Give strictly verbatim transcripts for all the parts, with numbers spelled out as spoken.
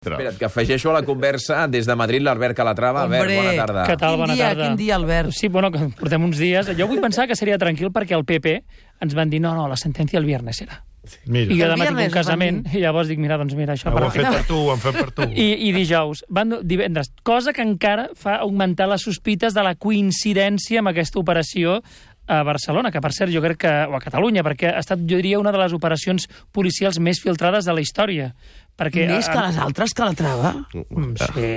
Espera't, que afegeixo a la conversa des de Madrid l'Albert Calatrava. Albert, bona tarda. Què tal? Bona Quin dia, tarda. quin dia, Albert? Sí, bueno, que portem uns dies. Jo vull pensar que seria tranquil perquè el P P ens van dir no, no, la sentència el viernes serà. Mira. I jo El demà tinc viernes un casament i llavors dic, mira, doncs mira, això... Ho per han fet per tu, ho han fet per tu. I, I dijous, van divendres, cosa que encara fa augmentar les sospites de la coincidència amb aquesta operació a Barcelona, que per cert jo crec que, o a Catalunya, perquè ha estat, jo diria, una de les operacions policials més filtrades de la història. Perquè, Més que les altres, que la trava. Mm, Sí.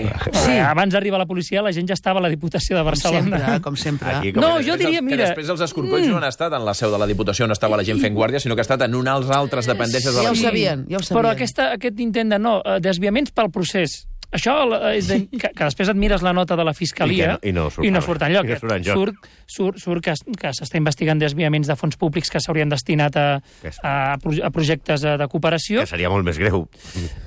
Sí. Abans d'arribar a la policia, la gent ja estava a la Diputació de Com Barcelona. sempre, com sempre. Aquí, com No, que jo després diria, els- mira- Que després els escorcolls no han estat en la seu de la Diputació, no estava la gent fent guàrdia, sinó que ha estat en unes altres dependències de Ja la ho sabien, ja ho sabien. Però aquesta, aquest intent de no, eh, desviaments pel procés. Això eh, és de, que, que després et mires la nota de la Fiscalia I que no- i no surt i no res. surt enlloc. I no surt enlloc. Surt, surt, surt que, que s'està investigant desviaments de fons públics que s'haurien destinat a, Que és- a, pro- a projectes eh, de cooperació, Que seria molt més greu.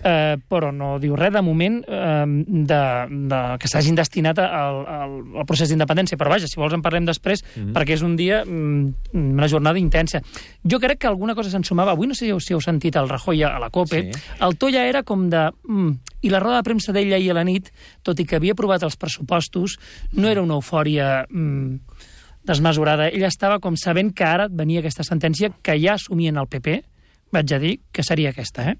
eh, però no diu res de moment eh, de, de, que s'hagin destinat al, al, al procés d'independència. Però vaja, si vols en parlem després, mm -hmm. perquè és un dia, mm, una jornada intensa. Jo crec que alguna cosa se'n sumava. Avui no sé si heu sentit el Rajoy a la COPE. Sí. El to ja era com de... Mm, I la roda de premsa d'ell ahir a la nit, tot i que havia aprovat els pressupostos, no era una eufòria mm, desmesurada. Ell estava com sabent que ara venia aquesta sentència que ja assumien el P P, vaig a dir que seria aquesta, eh?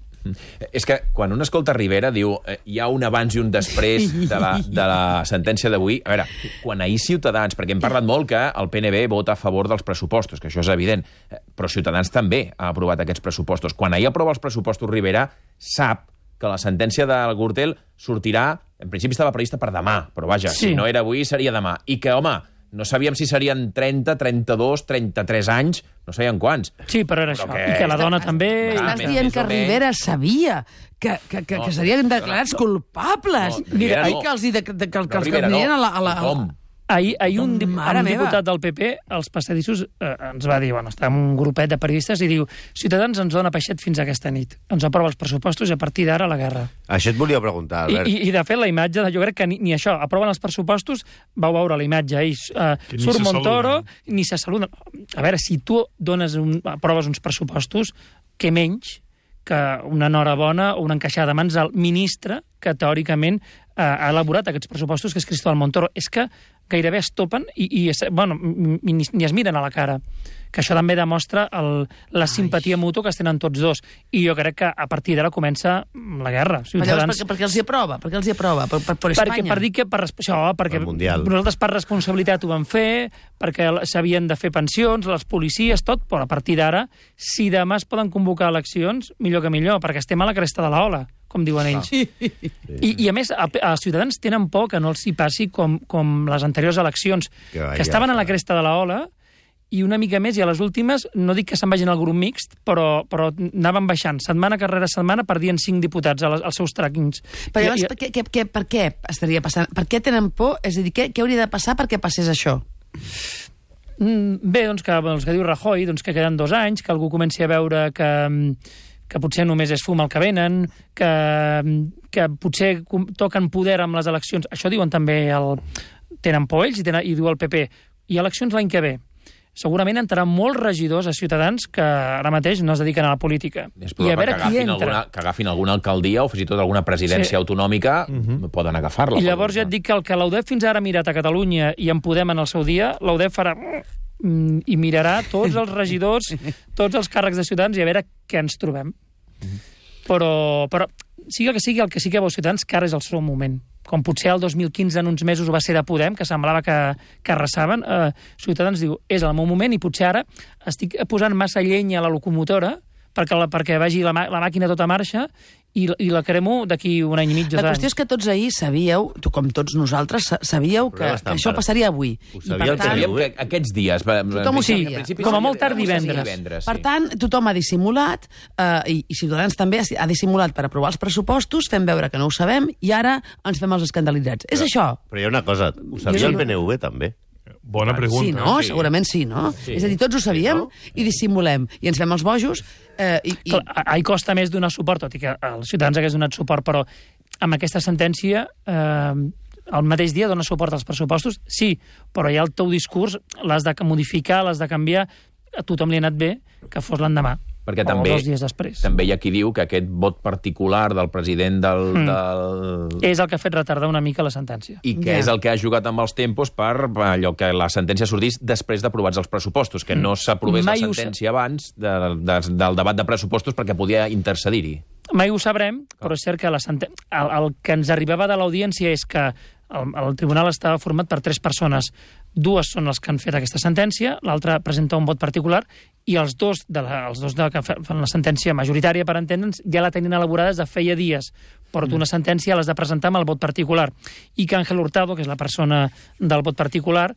És que quan un escolta Rivera diu eh, hi ha un abans i un després de la, de la sentència d'avui. A veure, quan ahir Ciutadans, perquè hem parlat molt que el P N B vota a favor dels pressupostos, que això és evident, eh, però Ciutadans també ha aprovat aquests pressupostos. Quan ahir aprova els pressupostos Rivera, sap que la sentència del Gürtel sortirà, en principi estava prevista per demà, però vaja, Sí. si no era avui seria demà. I que, home, no sabíem si serien trenta, trenta-dos, trenta-tres anys, no sabíem quants. Sí, però era Però això. que- I que la dona també... Ah, Estàs més- dient més que o menys. Rivera sabia que, que, que, No, que serien declarats no, culpables. no, Rivera Mira, no. i que els, hi de, de, que, que els que Rivera anirien no. a la... A la, a la... Tothom. Ahir, ahir un, dip Mare un meva. diputat del P P, als passadissos, eh, ens va dir, bueno, està amb un grupet de periodistes, i diu, Ciutadans ens dona peixet fins a aquesta nit. Ens aprova els pressupostos i a partir d'ara la guerra. Això et volia preguntar, I, Albert. i, I, de fet, la imatge, de, jo crec que ni, ni això, aproven els pressupostos, vau veure la imatge ahir, eh, Que ni surt se Montoro, saluden. ni se saluden. A veure, si tu dones un, aproves uns pressupostos, què menys que una enhorabona o una encaixada de mans al ministre que teòricament eh, ha elaborat aquests pressupostos, que és Cristóbal Montoro. És que gairebé es topen i, i es, bueno, ni, ni es miren a la cara. Que això també demostra el, la simpatia mútua que es tenen tots dos. I jo crec que a partir d'ara comença la guerra. Però llavors, perquè, perquè els hi aprova, perquè els hi aprova, per, per, per Espanya. Perquè, per dir que per, això, perquè El Mundial. nosaltres per responsabilitat ho vam fer, perquè s'havien de fer pensions, les policies, tot, però a partir d'ara, si demà es poden convocar eleccions, millor que millor, perquè estem a la cresta de l'ola, com diuen ells. Sí. I, I a més, a, a Ciutadans tenen por que no els hi passi com, com les anteriors eleccions, Que que, vaja, que estaven a la clar. cresta de l'ola, i una mica més, i a les últimes, no dic que se'n vagin al grup mixt, però, però anaven baixant, setmana rere setmana perdien cinc diputats als, als seus tràquings. Però llavors, I- i- per, què, què, què, per què estaria passant? Per què tenen por? És a dir, què, què hauria de passar perquè passés això? Mm, Bé, doncs que, doncs que diu Rajoy, doncs que queden dos anys, que algú comenci a veure que, que potser només és fum el que venen, que, que potser com- toquen poder amb les eleccions. Això diuen també el... Tenen por ells i, tenen, i diu el P P. I eleccions l'any que ve. Segurament entraran molts regidors a Ciutadans que ara mateix no es dediquen a la política. És I a probable veure que qui agafin, entra. alguna, que agafin alguna alcaldia o fins i tot alguna presidència Sí. autonòmica, poden agafar-la. I llavors ja et dic que el que l'U D E F fins ara ha mirat a Catalunya i en Podem en el seu dia, l'U D E F farà mm, i mirarà tots els regidors, tots els càrrecs de Ciutadans i a veure què ens trobem. Però, però sigui el que sigui, el que sí que veu Ciutadans, que ara és el seu moment. Com potser el dos mil quinze en uns mesos va ser de Podem, que semblava que, que arrasaven, eh, Ciutadans diu, és el meu moment i potser ara estic posant massa llenya a la locomotora perquè, la, perquè vagi la, la màquina tota marxa i, i la cremo d'aquí un any i mig, dos La anys. qüestió és que tots ahir sabíeu, tu com tots nosaltres, sa- sabíeu que, Però que estan això per- passaria avui. Ho I sabia per el tant, Sabíem que aquests dies... va- Tothom ho en sabia. principi Com a seria- molt tard tothom ho sabia divendres. divendres, Per sí. tant, tothom ha dissimulat, eh, i, i Ciutadans també ha ha dissimulat per aprovar els pressupostos, fem veure que no ho sabem, i ara ens fem els escandalitzats. És això? Però hi ha una cosa, ho sabia Jo- el P N V també. Bona pregunta. Sí, no? sí. Segurament sí, no? Sí. És a dir, tots ho sabíem no? i dissimulem. I ens fem els bojos. Eh, i, i... Clar, ahir costa més donar suport, tot i que els ciutadans hagués donat suport, però amb aquesta sentència eh, el mateix dia dona suport als pressupostos, sí, però ja el teu discurs l'has de modificar, l'has de canviar, a tothom li ha anat bé que fos l'endemà. Perquè o també, dos dies després. també hi ha qui diu que aquest vot particular del president del... Mm. del... És el que ha fet retardar una mica la sentència. I que Ja. és el que ha jugat amb els tempos per allò que la sentència sortís després d'aprovats els pressupostos, que no s'aprovés la Mai ho sentència abans de, de, del debat de pressupostos perquè podia intercedir-hi. Mai ho sabrem, però és cert que la senten... el, el que ens arribava de l'audiència és que el, el tribunal estava format per tres persones. Dues són les que han fet aquesta sentència, l'altra presenta un vot particular, i els dos, de la, els dos de, que fan la sentència majoritària, per entendre'ns, ja la tenien elaborada des de feia dies. Porto una sentència, l'has de presentar amb el vot particular. I que Ángel Hurtado, que és la persona del vot particular,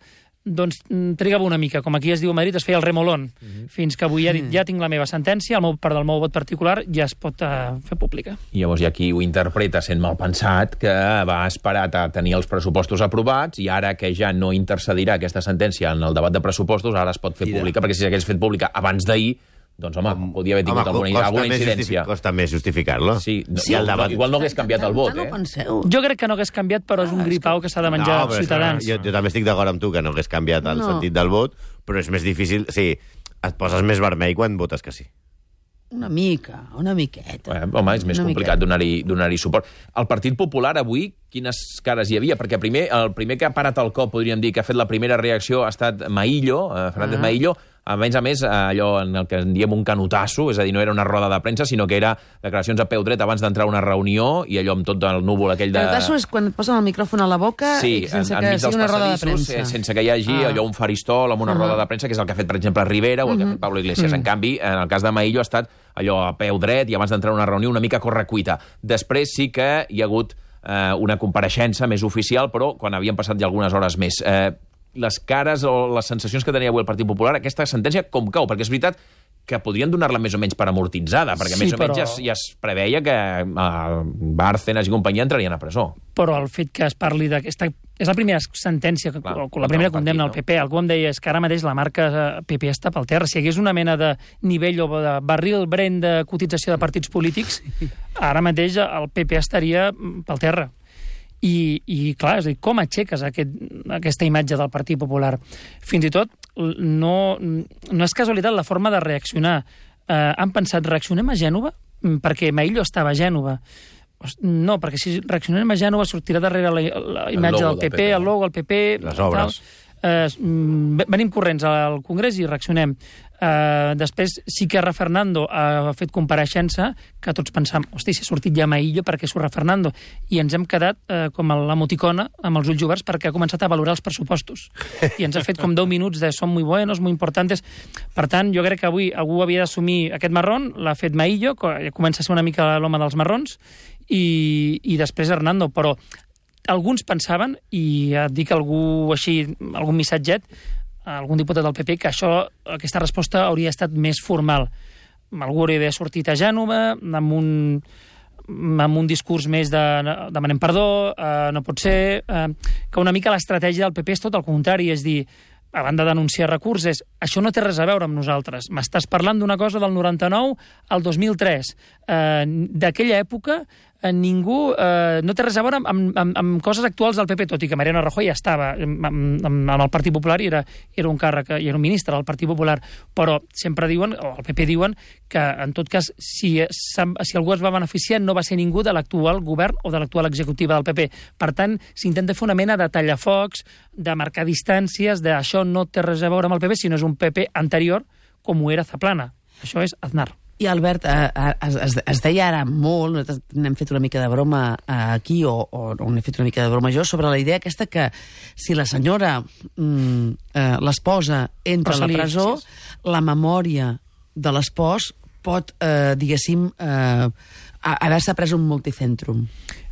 doncs trigava una mica, com aquí es diu a Madrid, es feia el remolón, uh -huh. fins que avui ja ha dit, ja tinc la meva sentència, el meu, part del meu vot particular ja es pot uh, fer pública. I llavors hi ha qui ho interpreta sent mal pensat, que va esperar a tenir els pressupostos aprovats i ara que ja no intercedirà aquesta sentència en el debat de pressupostos, ara es pot fer Mira. pública, perquè si s'hagués fet pública abans d'ahir, doncs, home, podia haver tingut Home, alguna, costa alguna més incidència. justifi- Costa més justificar-lo. Sí, no, Sí, i el el debat, debat- igual no hagués canviat el vot, Tant eh? ho penseu. Jo crec que no hagués canviat, però és un Ah, és gripau que s'ha de menjar però és Ciutadans. que Jo, jo també estic d'acord amb tu que no hagués canviat el No. sentit del vot, però és més difícil... Sí, et poses més vermell quan votes que sí. Una mica, una miqueta. Eh, home, és més Una complicat miqueta. donar-hi donar-hi suport. El Partit Popular avui, quines cares hi havia? Perquè primer, el primer que ha parat el cop, podríem dir, que ha fet la primera reacció, ha estat Maillo, eh, Fernández Ah. Maillo, a més a més, allò en el que en diem un canutasso, és a dir, no era una roda de premsa, sinó que era declaracions a peu dret abans d'entrar a una reunió, i allò amb tot el núvol aquell de... El cas és quan et posen el micròfon a la boca Sí, i sense en, que enmig sigui dels una roda de passadissos, premsa. eh, sense que hi hagi Ah. allò un faristol amb una Ah. roda de premsa, que és el que ha fet, per exemple, Rivera o el que ha fet Pablo Iglesias. En canvi, en el cas de Maillo ha estat allò a peu dret i abans d'entrar a una reunió una mica a correcuita. Després sí que hi ha hagut eh, una compareixença més oficial, però quan havien passat ja algunes hores més. Eh, les cares o les sensacions que tenia avui el Partit Popular, aquesta sentència com cau? Perquè és veritat que podrien donar-la més o menys per amortitzada, perquè Sí, més o menys però- ja, es- ja es preveia que eh, Bárcenas i companyia entrarien a presó. Però el fet que es parli d'aquesta... És la primera sentència, que, Clar, o la contra primera un partit, condemna al no? P P. Algú em deia, és que ara mateix la marca eh, P P està pel terra. Si hi hagués una mena de nivell o de barril brent de cotització de partits polítics, ara mateix el P P estaria mm, pel terra. I, i clar, és a dir, com aixeques aquest, aquesta imatge del Partit Popular? Fins i tot, no, no és casualitat la forma de reaccionar. Eh, han pensat, reaccionem a Gènova? Mm, Perquè Maillo estava a Gènova. No, perquè si reaccionem a Gènova sortirà darrere la, la imatge logo del del P P, P P, el logo, el P P... Les tal. obres. Eh, mm, venim corrents al Congrés i reaccionem. Eh, després sí que Ra Fernando ha fet compareixença, que tots pensam, hosti, si ha sortit ja Maillo, perquè surt Ra Fernando? I ens hem quedat eh, com l'emoticona, amb els ulls oberts, perquè ha començat a valorar els pressupostos. I ens ha fet com deu minuts de són muy buenos, muy importantes. Per tant, jo crec que avui algú havia d'assumir aquest marrón, l'ha fet Maillo, que comença a ser una mica l'home dels marrons, i, i després Hernando, però alguns pensaven, i et dic algú així, algun missatget, algun diputat del P P, que això, aquesta resposta hauria estat més formal. Algú hauria d'haver sortit a Gènova amb un, amb un discurs més de demanem perdó, eh, no pot ser, eh, que una mica l'estratègia del P P és tot el contrari, és dir, a banda de denunciar recursos, això no té res a veure amb nosaltres. M'estàs parlant d'una cosa del noranta-nou al dos mil tres. Eh, D'aquella època eh, ningú... Eh, no té res a veure amb, amb, amb, amb coses actuals del P P, tot i que Mariano Rajoy ja estava amb, amb, amb el Partit Popular i era, era un càrrec, i era un ministre del Partit Popular, però sempre diuen, o el P P diuen, que en tot cas, si, si algú es va beneficiar no va ser ningú de l'actual govern o de l'actual executiva del P P. Per tant, s'intenta fer una mena de tallafocs, de marcar distàncies, de això no té res a veure amb el P P, sinó és un P P anterior, com ho era Zaplana. Això és Aznar. I Albert, eh, eh, es, es, es deia ara molt, nosaltres n'hem fet una mica de broma eh, aquí, o, o, o n'he fet una mica de broma jo, sobre la idea aquesta que si la senyora, mm, eh, l'esposa, entra Rosalía a la presó, Iglesias. la memòria de l'espòs pot, eh, diguéssim, eh, haver-se pres un multicentrum.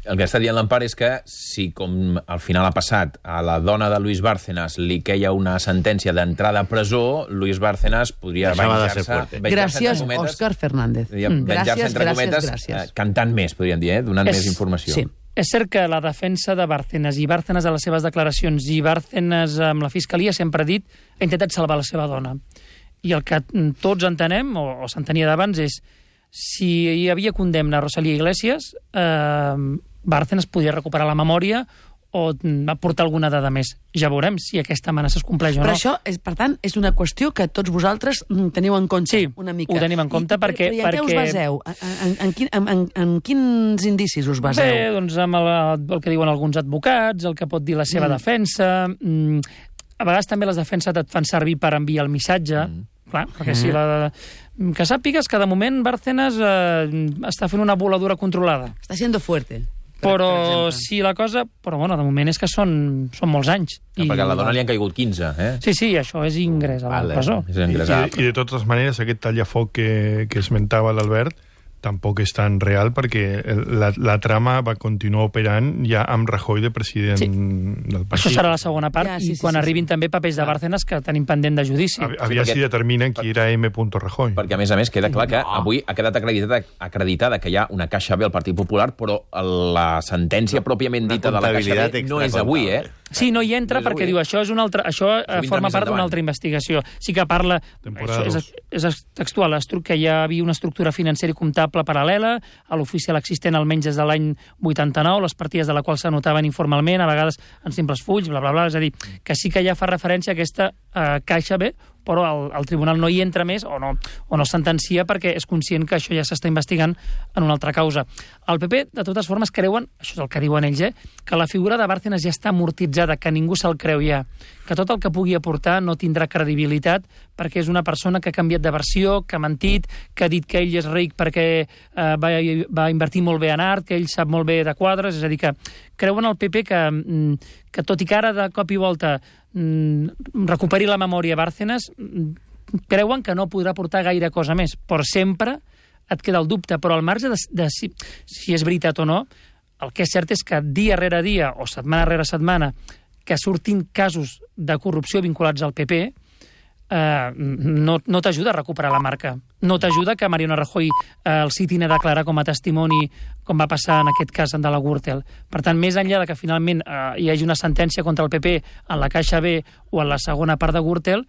El que està dient l'Empar és que si, com al final ha passat, a la dona de Luis Bárcenas li queia una sentència d'entrada a presó, Luis Bárcenas podria Deixava de venjar-se... ser fuerte. venjar-se, Gràcies, entre cometes, Òscar Fernández. podria Mm. venjar-se, Gràcies, entre gràcies, cometes, gràcies. eh, cantant més, podríem dir, eh? Donant És- més informació. Sí. És cert que la defensa de Bárcenas i Bárcenas a les seves declaracions i Bárcenas amb la Fiscalia sempre ha dit ha intentat salvar la seva dona. I el que tots entenem, o, o s'entenia d'abans, és si hi havia condemna a Rosalía Iglesias, eh, Bárcenas podia recuperar la memòria o va portar alguna dada més. Ja veurem si aquesta amenaça es compleix o Però no. això, és, per tant, és una qüestió que tots vosaltres mm, teniu en compte Sí, una mica. ho tenim en compte I, perquè- Però, i en què us perquè- baseu? En, en, en, quin, en, en, en quins indicis us baseu? Bé, doncs amb el, el que diuen alguns advocats, el que pot dir la seva mm. defensa... Mm, a vegades també les defenses et fan servir per enviar el missatge, mm. clar, perquè si la... Que sàpigues que de moment Bárcenas eh, està fent una voladura controlada. Està siendo fuerte. Per, Però per exemple. si la cosa... Però bueno, de moment és que són, són molts anys. I... Perquè a la dona li han caigut quinze, eh? Sí, sí, això és ingrés a la Vale, presó. és I, ingressar. i, I de totes maneres, aquest tallafoc que, que esmentava l'Albert tampoc és tan real perquè la, la trama va continuar operant ja amb Rajoy de president Sí. del Això partit. serà la segona part, Ja, sí, i sí, quan sí, arribin sí. també papers de Bárcenas que tenim pendent de judici. A, aviam Sí, perquè- si determinen qui era M. Rajoy. Perquè, a més a més, queda clar que avui ha quedat acreditada, acreditada que hi ha una caixa B al Partit Popular, però la sentència pròpiament Una dita de la caixa comptabilitat B no és avui, eh? Sí, no hi entra No és perquè avui, diu eh? això és una altra, això eh, vindrà forma més part d'una endavant. altra investigació. Sí que parla, Temporada això dos. és, és textual, estru- que hi havia una estructura financera i comptable paral·lela, a l'oficial existent almenys des de l'any vuitanta-nou, les partides de la qual s'anotaven informalment, a vegades en simples fulls, bla, bla, bla, és a dir, que sí que ja fa referència a aquesta eh, caixa B, però el, el tribunal no hi entra més o no, o no sentencia perquè és conscient que això ja s'està investigant en una altra causa. El P P, de totes formes, creuen, això és el que diuen ells, eh, que la figura de Bárcenas ja està amortitzada, que ningú se'l creu ja, que tot el que pugui aportar no tindrà credibilitat perquè és una persona que ha canviat de versió, que ha mentit, que ha dit que ell és ric perquè eh, va, va invertir molt bé en art, que ell sap molt bé de quadres, és a dir, que creuen al P P que, mm, que tot i que ara de cop i volta mm, recuperi la memòria Bárcenas, mm, creuen que no podrà portar gaire cosa més, però sempre et queda el dubte, però al marge de, de si, si és veritat o no, el que és cert és que dia rere dia o setmana rere setmana que surtin casos de corrupció vinculats al P P, eh, no, no t'ajuda a recuperar la marca. No t'ajuda que Mariano Rajoy eh, el citin a declarar com a testimoni com va passar en aquest cas de la Gürtel. Per tant, més enllà de que finalment eh, hi hagi una sentència contra el P P en la Caixa B o en la segona part de Gürtel,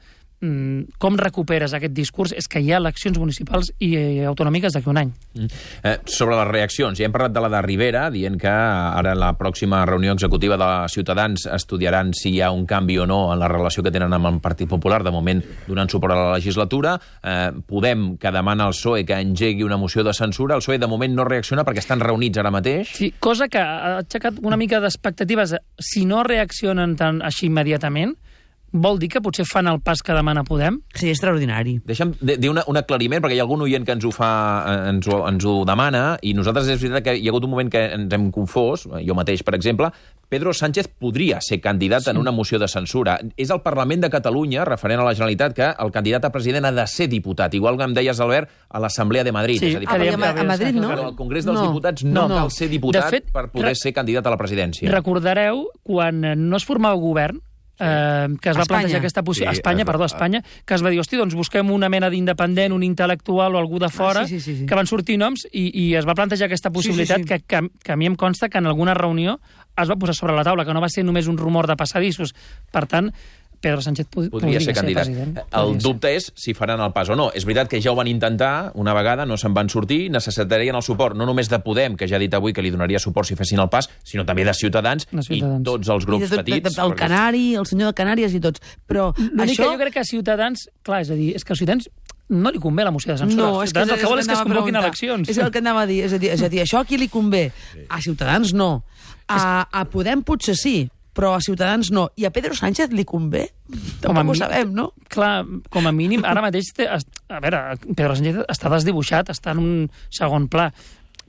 com recuperes aquest discurs és que hi ha eleccions municipals i eh, autonòmiques d'aquí un any. Mm. Eh, sobre les reaccions, ja hem parlat de la de Rivera, dient que ara en la pròxima reunió executiva de Ciutadans estudiaran si hi ha un canvi o no en la relació que tenen amb el Partit Popular, de moment donant suport a la legislatura. Eh, Podem, que demana al P S O E que engegui una moció de censura. El P S O E de moment no reacciona perquè estan reunits ara mateix. Sí, cosa que ha aixecat una mica d'expectatives. Si no reaccionen tan així immediatament, vol dir que potser fan el pas que demana Podem? Sí, extraordinari. Deixa'm dir una, un aclariment, perquè hi ha algun oient que ens ho fa, ens ho, ens ho demana, i nosaltres és veritat que hi ha hagut un moment que ens hem confós, jo mateix, per exemple. Pedro Sánchez podria ser candidat sí. en una moció de censura. És el Parlament de Catalunya, referent a la Generalitat, que el candidat a president ha de ser diputat, igual que em deies, Albert, a l'Assemblea de Madrid. Sí, és a dir, Ah, que perquè dèiem a, a Madrid no? però al Congrés dels no. Diputats no, No, no. cal ser diputat De fet, per poder re- ser candidat a la presidència. Recordareu, quan no es formava govern, eh, que es va Espanya. plantejar aquesta possibilitat... Sí, Espanya, es va- perdó, Espanya, que es va dir, hosti, doncs busquem una mena d'independent, un intel·lectual o algú de fora, Ah, sí, sí, sí, sí. que van sortir noms, i, i es va plantejar aquesta possibilitat sí, sí. Que, que, que a mi em consta que en alguna reunió es va posar sobre la taula, que no va ser només un rumor de passadissos. Per tant, Pedro Sánchez pod Podria ser candidat. president. El Podria ser. dubte és si faran el pas o no. És veritat que ja ho van intentar una vegada, no se'n van sortir, necessitarien el suport no només de Podem, que ja ha dit avui que li donaria suport si fessin el pas, sinó també de Ciutadans, De Ciutadans. i tots els I grups de tot, petits. de, de, el perquè- Canari, el senyor de Canàries i tots. Però L'únic això... que jo crec que a Ciutadans... Clar, és a dir, és que a Ciutadans no li convé la moció de censura. No, és que, Ciutadans el que vol és que es anava a convoquin preguntar. eleccions. És el que anava a dir. És a dir, és a dir això a qui li convé? A Ciutadans no. A, a Podem potser sí, però a Ciutadans no. I a Pedro Sánchez li convé? Com a Tampoc ho mi- sabem, no? Clar, com a mínim, ara mateix... Té, a veure, Pedro Sánchez està desdibuixat, està en un segon pla.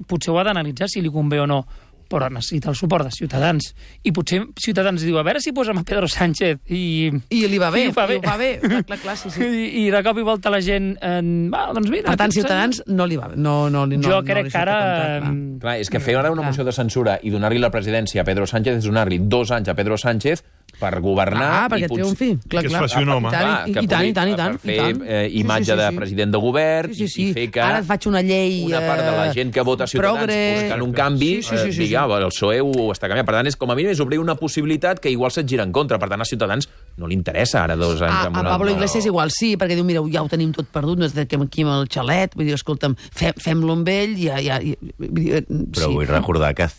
Potser ho ha d'analitzar si li convé o no, però necessita el suport de Ciutadans. I potser Ciutadans diu, a veure si posem a Pedro Sánchez i... I li va bé, I ho fa bé. i ho fa bé. Clar, clar, clar, sí, sí. I, I de cop i volta la gent... Eh, va, doncs mira... Per tant, aquest Ciutadans no li va bé. No, no, no, Jo no, crec li que ara... surt a compte, clar. Clar, és que fer ara una moció de censura i donar-li la presidència a Pedro Sánchez és donar-li dos anys a Pedro Sánchez per governar... Ah, perquè i potser- triomfi. Clar, que es clar. faci un home. I tant, Clar, i, que i tant, pugui- i tant, i tant. per fer i tant. eh, imatge de president de govern Sí, sí, sí. i fer que Ara et faig una llei... una part de la eh, gent que vota Ciutadans progre... buscant un canvi, Sí, sí, sí, eh, sí, digui, sí. ah, el P S O E ho està canviant. Per tant, és, com a mínim és obrir una possibilitat que igual se't gira en contra. Per tant, a Ciutadans no li interessa ara dos anys. A, amb a una- Pablo Iglesias igual sí, perquè diu, mira, ja ho tenim tot perdut, no és de que aquí amb el xalet, vull dir, escolta'm, fem, fem-lo amb ell, ja, ja, ja, vull dir, eh, Però sí. vull recordar que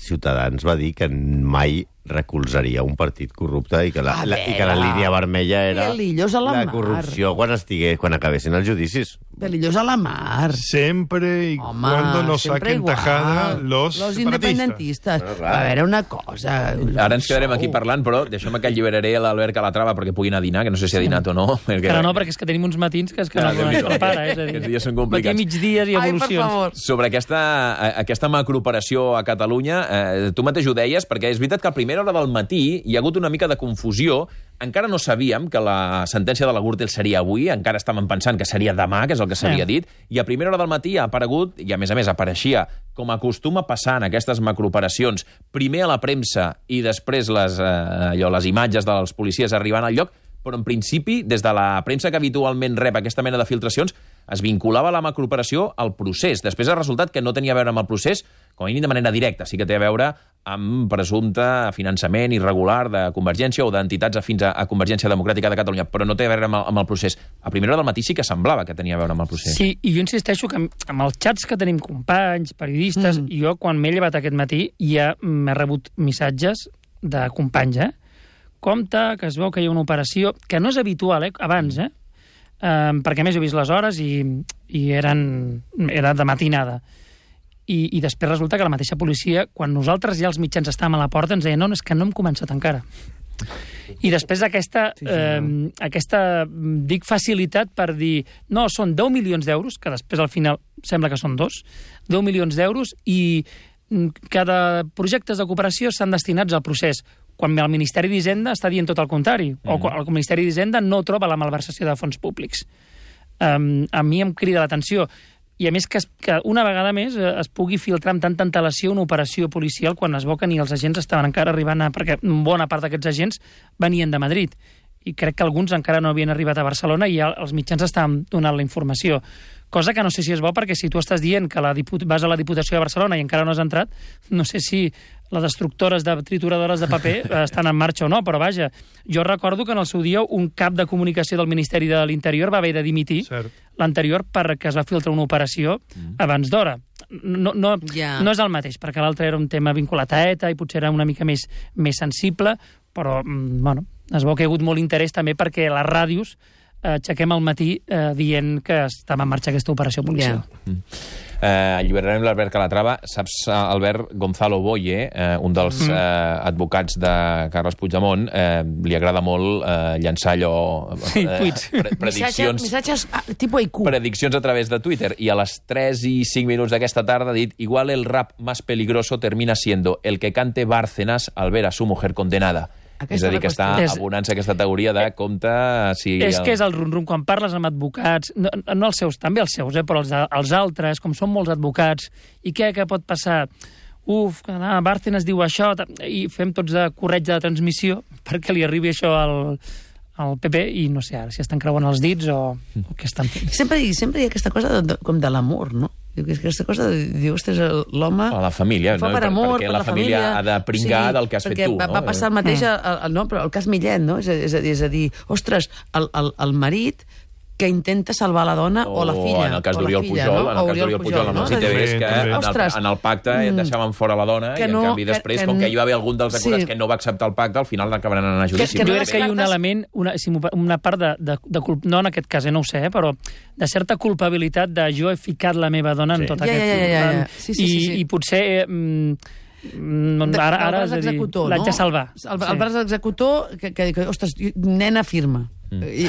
Ciutadans va dir que mai recolzaria un partit corrupte i que la, A la, i que la veure. línia vermella era Pelillos a la la mar. corrupció quan estigués, quan acabessin els judicis. Pelillos a la mar. Siempre y Home, cuando no sempre saquen igual. tajada los, Los separatistas. independentistes. Bueno, clar. A veure, una cosa... Ara ens quedarem aquí parlant, però deixem que alliberaré l'Albert Calatrava perquè pugui anar a dinar, que no sé si ha dinat o no. Perquè... Ara no, perquè és que tenim uns matins que és que Ah, no Déu-n'hi-do. es prepara. És a dir, Aquests dies són matí, complicats. migdies i Ai, per evolucions. favor. Sobre aquesta, eh, aquesta macrooperació a Catalunya, eh, tu mateix ho deies, perquè és veritat que a primera hora del matí hi ha hagut una mica de confusió. Encara no sabíem que la sentència de la Gürtel seria avui, encara estàvem pensant que seria demà, que és el que s'havia Sí. dit, i a primera hora del matí ha aparegut, i a més a més apareixia, com acostuma a passar en aquestes macrooperacions, primer a la premsa i després les, eh, allò, les imatges dels policies arribant al lloc, però en principi, des de la premsa que habitualment rep aquesta mena de filtracions, es vinculava la macrooperació al procés. Després ha resultat que no tenia a veure amb el procés, com a mínim de manera directa. Sí que té a veure amb presumpte finançament irregular de Convergència o d'entitats afins a, a Convergència Democràtica de Catalunya, però no té a veure amb el, amb el procés. A primera hora del matí sí que semblava que tenia a veure amb el procés. Sí, i jo insisteixo que amb, amb els xats que tenim companys, periodistes, mm. jo quan m'he llevat aquest matí ja m'he rebut missatges de companys, eh? Compte, que es veu que hi ha una operació, que no és habitual, eh? Abans, eh? Um, perquè a més he vist les hores i, i eren, era de matinada. I, I després resulta que la mateixa policia, quan nosaltres ja els mitjans estàvem a la porta, ens deia no, no, és que no hem començat encara. I després aquesta, sí, sí, eh, no. aquesta, dic, facilitat per dir no, són deu milions d'euros, que després al final sembla que són dos, deu milions d'euros i cada projectes de cooperació s'han destinats al procés, quan el Ministeri d'Hisenda està dient tot el contrari, mm. o quan el Ministeri d'Hisenda no troba la malversació de fons públics. Um, a mi em crida l'atenció, i a més que, es, que una vegada més eh, es pugui filtrar amb tanta antelació una operació policial quan es veu que ni els agents estaven encara arribant a... perquè bona part d'aquests agents venien de Madrid, i crec que alguns encara no havien arribat a Barcelona i ja els mitjans estaven donant la informació. Cosa que no sé si és bo, perquè si tu estàs dient que la diput... vas a la Diputació de Barcelona i encara no has entrat, no sé si les destructores de trituradores de paper estan en marxa o no, però vaja, jo recordo que en el seu dia un cap de comunicació del Ministeri de l'Interior va haver de dimitir l'anterior perquè es va filtrar una operació mm. abans d'hora. No, no, yeah. no és el mateix, perquè l'altre era un tema vinculat a ETA i potser era una mica més, més sensible, però, bueno, es veu que hi ha hagut molt interès també perquè les ràdios eh, aixequem al matí eh, dient que estava en marxa aquesta operació policial. Yeah. Mm. Eh, alliberarem l'Albert Calatrava. Saps, Albert, Gonzalo Boye, eh, un dels mm. eh, advocats de Carles Puigdemont, eh, li agrada molt eh, llançar allò... Sí, eh, tuits. pre prediccions, Missatges ah, tipo I Q. prediccions a través de Twitter. I a les tres i cinc minuts d'aquesta tarda ha dit igual el rap más peligroso termina siendo el que cante Bárcenas al ver a su mujer condenada. Aquesta és a dir, que està és... abonant-se aquesta teoria de compte... Si és el... que és el rum-rum, quan parles amb advocats, no, no els seus, també els seus, eh, però els, els altres, com són molts advocats, i què, què pot passar? Uf, que ah, Bárcenas diu això, i fem tots de corretja de transmissió perquè li arribi això al, al P P, i no sé ara si estan creuant els dits o, o què estan fent. Sempre, sempre hi ha aquesta cosa de, de, com de l'amor, no? Diu que és aquesta cosa de dir, ostres, l'home... A la família, fa no? per amor, perquè per la, la família, família ha de pringar sí, del que has fet tu. Va, no? va passar el mateix, el, el, no, però el cas Millet, no? És a, és a, és a dir, ostres, el, el, el marit que intenta salvar la dona o, o la filla. En el cas o la d'Oriol filla, Pujol, no? en el cas d'Oriol Pujol, amb els I T Vs, que en el, ostres, en el pacte mm, deixaven fora la dona i en no, canvi després, que, com que hi va haver algun dels acusats sí. que no va acceptar el pacte, al final acabaran anant a judici. Que, que Jo no crec que hi ha un descartes... element, una, si una part de, de, de culp... no en aquest cas, eh, no ho sé, eh, però de certa culpabilitat de jo he ficat la meva dona en Sí. tot Ja, aquest... ja, ja, ja, ja. Sí, sí, I, sí, sí. i potser... Eh, mm, ara, ara és a dir, l'haig de salvar. El, el braç executor, que, que, que, ostres, nena firma. Mm. I,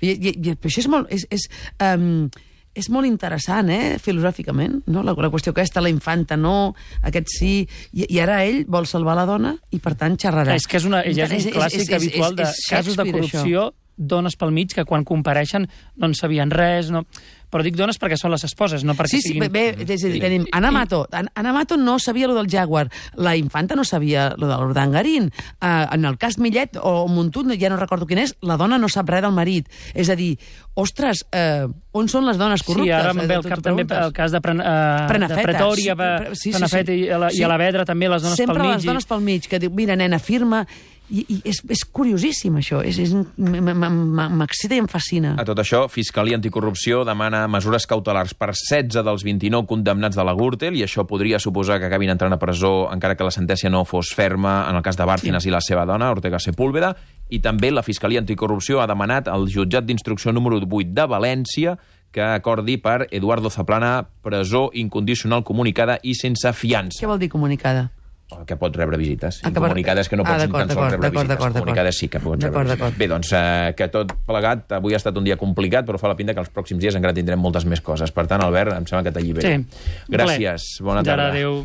i, i, i, però això és molt... És, és, um, és molt interessant, eh, filosòficament, no? La, la qüestió aquesta, la infanta no, aquest sí, i, i ara ell vol salvar la dona i, per tant, xerrarà. És que és, una, ja és un clàssic és, és, habitual de és, és casos de corrupció, això. Dones pel mig que quan compareixen no en sabien res, no... Però dic dones perquè són les esposes, no perquè sí, sí, siguin... bé, és a dir, tenim Ana Mato. Ana Mato no sabia lo del Jaguar. La infanta no sabia lo de l'Urdangarín. Uh, en el cas Millet o Montut, ja no recordo quin és, la dona no sap res del marit. És a dir, ostres, uh, on són les dones corruptes? Sí, ara em ve al cap també el cas de, Pren, uh, de Pretòria, sí, sí, Prenafeta sí, sí. i a la, sí. i a la Vedra també, les dones Sempre pel mig. Sempre les dones pel mig, que diu, mira, nena, firma... I, i és, és curiosíssim, això. És, és, m'excita i em fascina. A tot això, Fiscalia Anticorrupció demana demana mesures cautelars per setze dels vint-i-nou condemnats de la Gürtel, i això podria suposar que acabin entrant a presó encara que la sentència no fos ferma en el cas de Bárcenas i la seva dona, Ortega Sepúlveda. I també la Fiscalia Anticorrupció ha demanat al jutjat d'instrucció número vuit de València que acordi per Eduardo Zaplana presó incondicional comunicada i sense fiança. Què vol dir comunicada? Que pot rebre visites. Ah, Incomunicades que no pots ah, ni tan sols rebre visites. Comunicades sí que pots rebre visites. Bé, doncs eh, que tot plegat, avui ha estat un dia complicat, però fa la pinta que els pròxims dies encara tindrem moltes més coses. Per tant, Albert, em sembla que t'alliberem. Sí. Gràcies, bona tarda. Adéu.